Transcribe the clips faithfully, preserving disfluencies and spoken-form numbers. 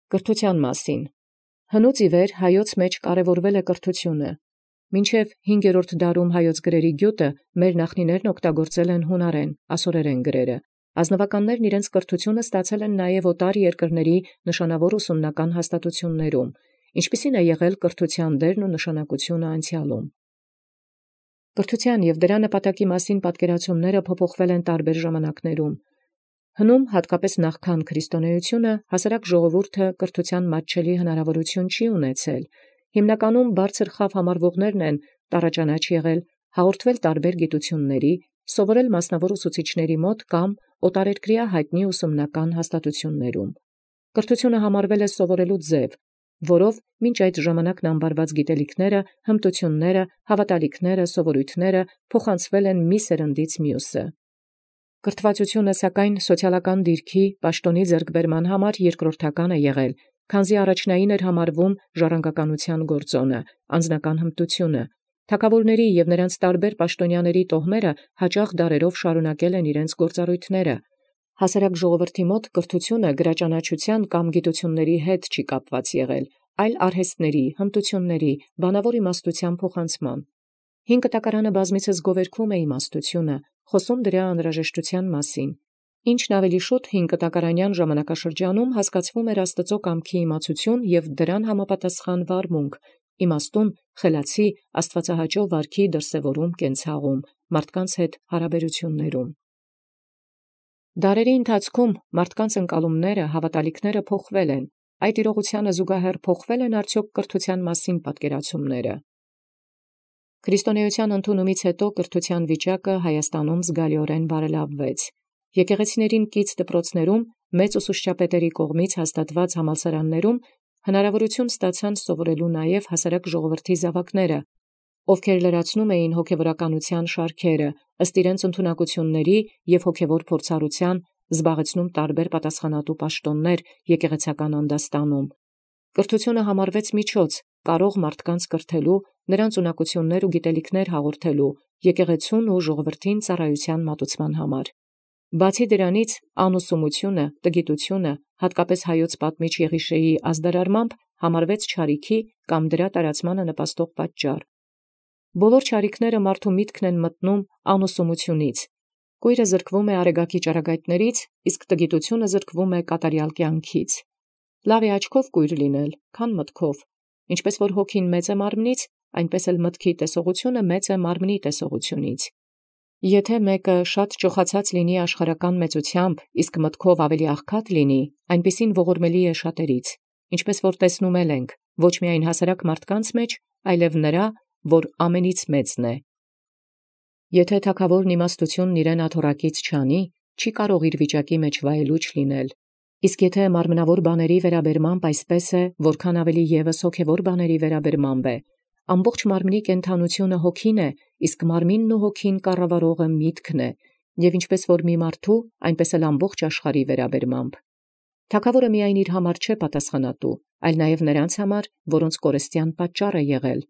Կրթութեան մասին։ Հնուց ի վեր հայոց մեջ կարևորվել է կրթությունը։ Մինչև հինգերորդ դարում հայոց գրերի գյուտը մեր նախնիներն օգտագործել են հունարեն, ասորերեն գրերը։ Ազնվականներն իրենց կրթությունը ստացել են նաև օտար երկրների նշանավոր ուսումնական հաստատություններում, ինչպիսին է եղել կրթության դերն ու նշանակությունը անցյալում։ Կրթության և դրա նպատակի մասին պատկերացումները փոփոխվել են տարբեր ժամանակներում։ Հնում հատկապես նախքան քրիստոնեությունը հասարակ ժողովուրդը կրթության մատչելի հնարավորություն չի ունեցել։ Հիմնականում բարձր խավ համարվողներն են տառաճանաչ եղել, հաղորդվել տարբեր գիտությունների, սովորել մասնավոր ուսուցիչների մոտ կամ օտարերկրյա հայտնի ուսումնական հաստատություններում։ Կրթությունը համարվել է սովորելու ձև, որով մինչ այդ ժամանակն անվարված գիտելիքները, հմտությունները, հավատալիքները, սովորույթները փոխանցվել են մի սերնդից մյուսը։ Կրթվածությունը սակայն սոցիալական դիրքի պաշտոնի ձեռքբերման համար երկրորդական է եղել, քանզի առաջնային էր համարվում ժառանգականության գործոնը, անձնական հմտությունը։ Թագավորների և նրանց տարբեր պաշտոնյաների տոհմերը հաճախ դարերով շարունակել են իրենց գործառույթները։ Հասարակ ժողովրդի մոտ կրթությունը գրաճանաչության կամ գիտությունների հետ չի կապված եղել, այլ արհեստների, հմտությունների, բանավոր իմաստության փոխանցման։ Հին կտակարանը բազմիցս գովերգում է իմաստությունը, խոսում դրա անհրաժեշտության մասին։ Ինչն ավելի շուտ հին կտակարանյան ժամանակաշրջանում հասկացվում էր Աստծո կամքի իմացություն և դրան համապատասխան վարմունք, իմաստուն, խելացի, աստվածահաճո վարքի դրսևորում կենցաղում, մարդկանց հետ հարաբերություններում։ Դարերի ընթացքում մարդկանց ընկալումները, հավատալիքները փոխվել են, այդ իրողությանը զուգահեռ փոխվել են արդյոք կրթության մասին պատկերացումները։ Քրիստոնեության ընդունումից հետո կրթության վիճակը Հայաստանում զգալիորեն բարելավվեց։ Եկեղեցիներին կից դպրոցներում մեծ ուսուցչապետերի կողմից հաստատված համալսարաններում հնարավորություն ստացան սովորելու նաև հասարակ ժողովրդի զավակները, ովքեր լրացնում էին հոգևորականության շարքերը, ըստ իրենց ընդունակությունների և հոգևոր փորձառության, զբաղեցնում տարբեր պատասխանատու պաշտոններ եկեղեցական անդաստանում։ Կրթությունը համարվեց միջոց, կարող մարդկանց կրթելու, նրանց ունակություններ ու գիտելիքներ հաղորդելու, եկեղեցուն ու ժողովրդին ծառայության մատուցման համար։ Բացի դրանից, անուսումությունը, տգիտությունը, հատկապես հայոց պատմիչ Եղիշեի ազդարարմամբ, համարվեց չարիքի կամ դրա տարածմանը նպաստող պատճառ։ Բոլոր չարիքները մարդու միտքն են մտնում անուսումությունից։ Կույրը զրկվում է արեգակի ճառագայթներից, իսկ տգիտությունը զրկվում է կատարյալ կյանքից։ Լավ է աչքով կույր լինել, քան մտքով։ Ինչպես որ հոգին մեծ է մարմնից, այնպես էլ մտքի տեսողությունը մեծ է մարմնի տեսողությունից։ Եթե մեկը շատ ճոխացած լինի աշխարհական մեծությամբ, իսկ մտքով ավելի աղքատ լինի, այնպիսին ողորմելի է շատերից, ինչպես որ տեսնում ենք, ոչ միայն հասարակ մարդկանց մեջ, այլև նրա, որ ամենից մեծն է։ Եթե թագավորն իմաստությունն իրեն աթոռակից չանի, չի կարող իր վիճակի մեջ վայելուչ լինել։ Իսկ եթե մարմնավոր բաների վերաբերմամբ այսպես է, որքան ավելի ևս հոգևոր բաների վերաբերմամբ է, ամբողջ մարմնի կենդանությունը հոգին է, իսկ մարմինն ու հոգին կառավարողը միտքն է, և ինչպես որ մի մարդու, այնպես էլ ամբողջ աշխարհի վերաբերմամբ։ Թագավորը միայն իր համար չէ պատասխանատու, այլ նաև նրանց համար, որոնց կորստյան պատճառ է եղել։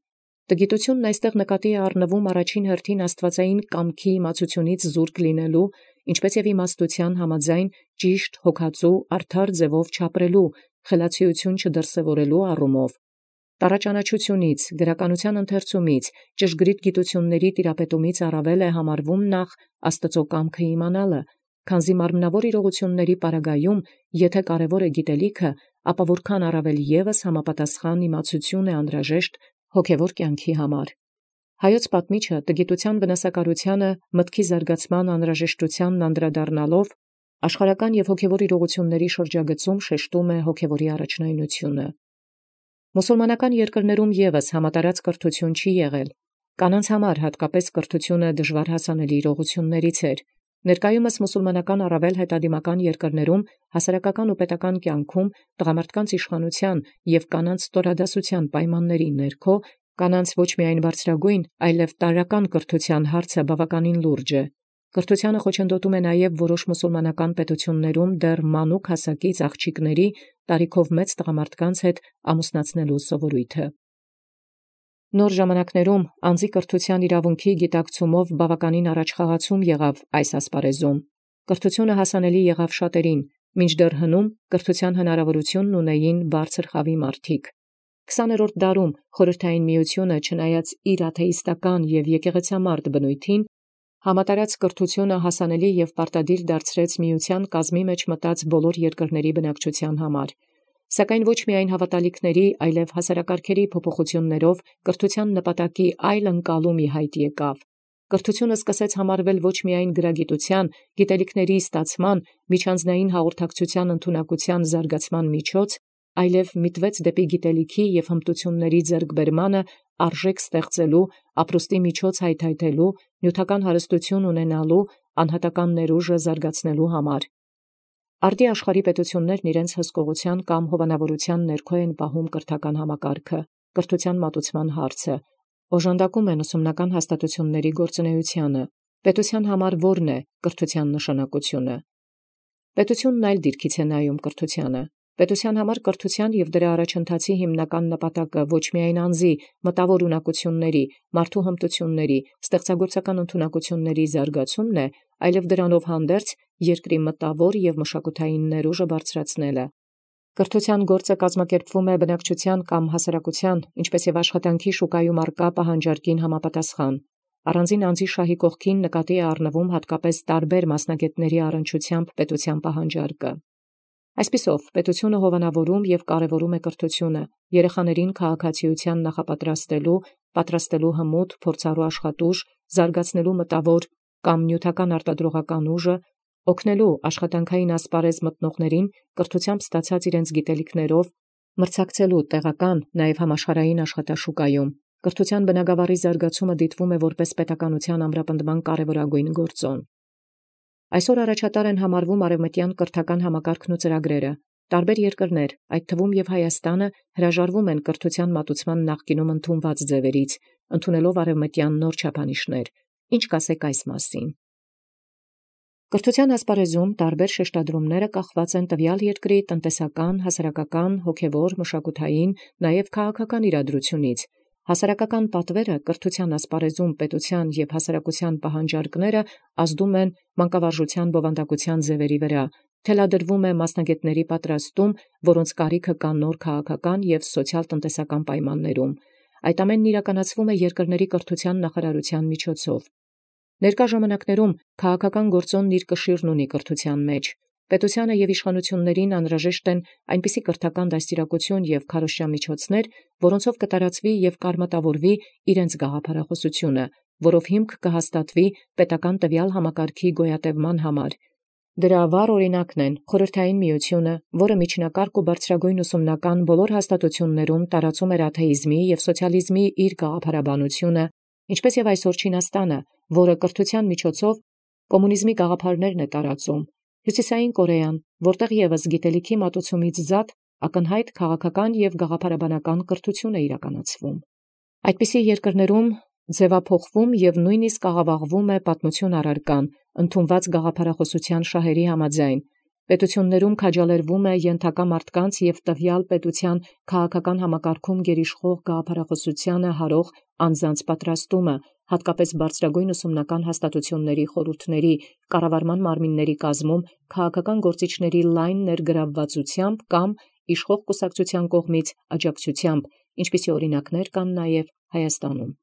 Տգիտությունն այստեղ նկատի է առնվում առաջին հերթին աստվածային կամքի իմացությունից զուրկ լինելու, ինչպես և իմաստության համաձայն ճիշտ, հոգածու, արդար ձևով չապրելու, խելացիություն չդրսևորելու առումով, տառաճանաչությունից, գրականության ընթերցումից, ճշգրիտ գիտությունների տիրապետումից առավել է համարվում նախ Աստծո կամքը իմանալը, քանզի մարմնավոր իրողությունների պարագայում, եթե կարևոր է գիտելիքը, ապա որքան առավել ևս համապատասխան իմացություն է անհրաժեշտ հոգևոր կյանքի համար։ Հայոց պատմիչը տգիտության վնասակարությանը մտքի զարգացման անհրաժեշտությանն անդրադառնալով աշխարհական և հոգևոր իրողությունների շրջագծում շեշտում է հոգևորի առաջնայնությունը։ Մուսուլմանական երկրներում ևս համատարած կրթություն չի եղել։ Կանանց համար հատկապես կրթությունը դժվար հասանելի իրողություններից էր։ Ներկայումս մուսուլմանական առավել հետադիմական երկրներում հասարակական ու պետական կյանքում տղամարդկանց իշխանության և կանանց ստորադասության պայմանների ներքո կանանց ոչ միայն բարձրագույն, այլև տարրական կրթության հարցը բավականին լուրջ է։ Կրթությանը խոչընդոտում է նաև որոշ մուսուլմանական պետություններում դեռ մանուկ հասակից աղջիկների տարիքով մեծ տղամարդկանց հետ ամուսնացնելու սովորույթը։ Նոր ժամանակներում անձի կրթության իրավունքի գիտակցումով բավականին առաջխաղացում եղավ այս ասպարեզում։ Կրթությունը հասանելի եղավ շատերին, մինչդեռ հնում կրթութեան հնարաւորութիւնն ունէին բարձր խավի մարդիկ։ Քսաներորդ դարում խորհրդային միությունը, չնայած իր աթեիստական եւ եկեղեցամարդ բնույթին, համատարած կրթութիւնը հասանելի եւ պարտադիր դարձրեց միության կազմի մեջ մտած բոլոր երկրների բնակչութեան համար։ Սակայն ոչ միայն հավատալիքների, այլև հասարակարգերի փոփոխություններով կրթութեան նպատակի այլ ընկալում ի հայտ եկավ։ Կրթութիւնը սկսեց համարվել ոչ միայն գրագիտութեան, գիտելիքների ստացման, միջանձնային հաղորդակցութեան ընդունակութեան զարգացման միջոց, այլև միտվեց դեպի գիտելիքի եւ հմտությունների ձեռքբերմանը արժեք ստեղծելու, ապրուստի միջոց հայթայթելու, նյութական հարստութիւն ունենալու, անհատական ներուժը զարգացնելու համար։ Արդի աշխարհի պետություններն իրենց հսկողութեան կամ հովանավորութեան ներքո են պահում կրթական համակարգը, կրթութեան մատուցման հարցը, օժանդակում են ուսումնական հաստատութիւնների գործունեութիւնը։ Պետութեան համար ո՞րն է կրթութեան նշանակությունը։ Պետութիւնն այլ դիրքից է նայում կրթութեանը։ Պետութեան համար կրթութեան եւ դրա առաջընթացի հիմնական նպատակը ոչ միայն անձի մտավոր ունակությունների, մարդու հմտությունների, ստեղծագործական ընդունակությունների զարգացումն է, այլև դրանով հանդերձ երկրի մտավոր եւ մշակութային ներուժը բարձրացնելը։ Կրթութեան գործը կազմակերպվում է բնակչութեան կամ հասարակութեան, ինչպէս եւ աշխատանքի շուկայում առկա պահանջարկին համապատասխան։ Առանձին անձի շահի կողքին նկատի է առնվում հատկապես տարբեր մասնագետների առնչությամբ պետութեան պահանջարկը։ Այսպիսով, պետութիւնը հովանավորում եւ կարևորում է կրթութիւնը, երեխաներին քաղաքացիութեան նախապատրաստելու, պատրաստելու հմուտ, փորձառու աշխատուժ, զարգացնելու մտավոր կամ նյութական արտադրողական ուժը, օգնելու աշխատանքային ասպարեզ մտնողներին կրթութեամբ ստացած իրենց գիտելիքներով մրցակցելու տեղական, նաեւ համաշխարհային աշխատաշուկայում։ Կրթութեան բնագավառի զարգացումը դիտվում է որպես պետականութեան ամրապնդման կարևորագույն գործոն։ Այսօր առաջատար են համարվում արևմտյան կրթական համակարգն ու ծրագրերը։ Տարբեր երկրներ, այդ թվում եւ Հայաստանը, հրաժարվում են կրթութեան մատուցման նախկինում ընդունված ձևերից, ընդունելով արևմտյան նոր չափանիշներ։ Ինչ կասեք այս մասին։ Կրթութեան ասպարեզում տարբեր շեշտադրումները կախված են տվյալ երկրի տնտեսական, հասարակական, հոգևոր, մշակութային, նաեւ քաղաքական իրադրությունից։ Հասարակական պատվերը կրթութեան ասպարեզում պետութեան եւ հասարակութեան պահանջարկները ազդում են մանկավարժութեան բովանդակութեան ձևերի վրա, թելադրվում է մասնագետների պատրաստում, որոնց կարիքը կա նոր քաղաքական եւ սոցիալ-տնտեսական պայմաններում։ Այդ ամենն իրականացվում է երկրների կրթութեան նախարարութեան միջոցով։ Ներկա ժամանակներում քաղաքական գործոնն իր կշիռն ունի կրթութեան մեջ։ Պետությանը եւ իշխանություններին անհրաժեշտ են այնպիսի կրթական դաստիարակություն եւ քարոզչամիջոցներ, որոնցով կտարածվի եւ կարմատավորվի իրենց գաղափարախոսությունը, որով հիմք կհաստատվի պետական տվյալ համակարգի գոյատևման համար։ Դրա վառ օրինակն են Խորհրդային Միությունը, որը միջնակարգ ու բարձրագույն ուսումնական բոլոր հաստատություններում տարածում էր աթեիզմի եւ սոցիալիզմի իր գաղափարաբանությունը, ինչպես եւ այսօր Չինաստանը, որը կրթության միջոցով կոմունիզմի գաղափարներն է տարածում, Հյուսիսային Կորեան, որտեղ եւս գիտելիքի մատուցումից զատ ակնհայտ քաղաքական եւ գաղափարաբանական կրթություն է իրականացվում։ Այդպիսի երկրներում ձևափոխվում եւ նույնիսկ աղավաղվում է պատմություն առարկան, ընդունված գաղափարախոսության շահերի համաձայն։ Պետություններում քաջալերվում է ենթակա մարդկանց եւ տվյալ պետության քաղաքական համակարգում գերիշխող գաղափարախոսությանը հարող անձանց պատրաստումը, հատկապես բարձրագույն ուսումնական հաստատությունների խորհուրդների, կառավարման մարմինների կազմում քաղաքական գործիչների լայն ներգրավվածությամբ կամ իշխող կուսակցության կողմից աջակցությամբ, ինչպիսի օրինակներ կան նաեւ Հայաստանում։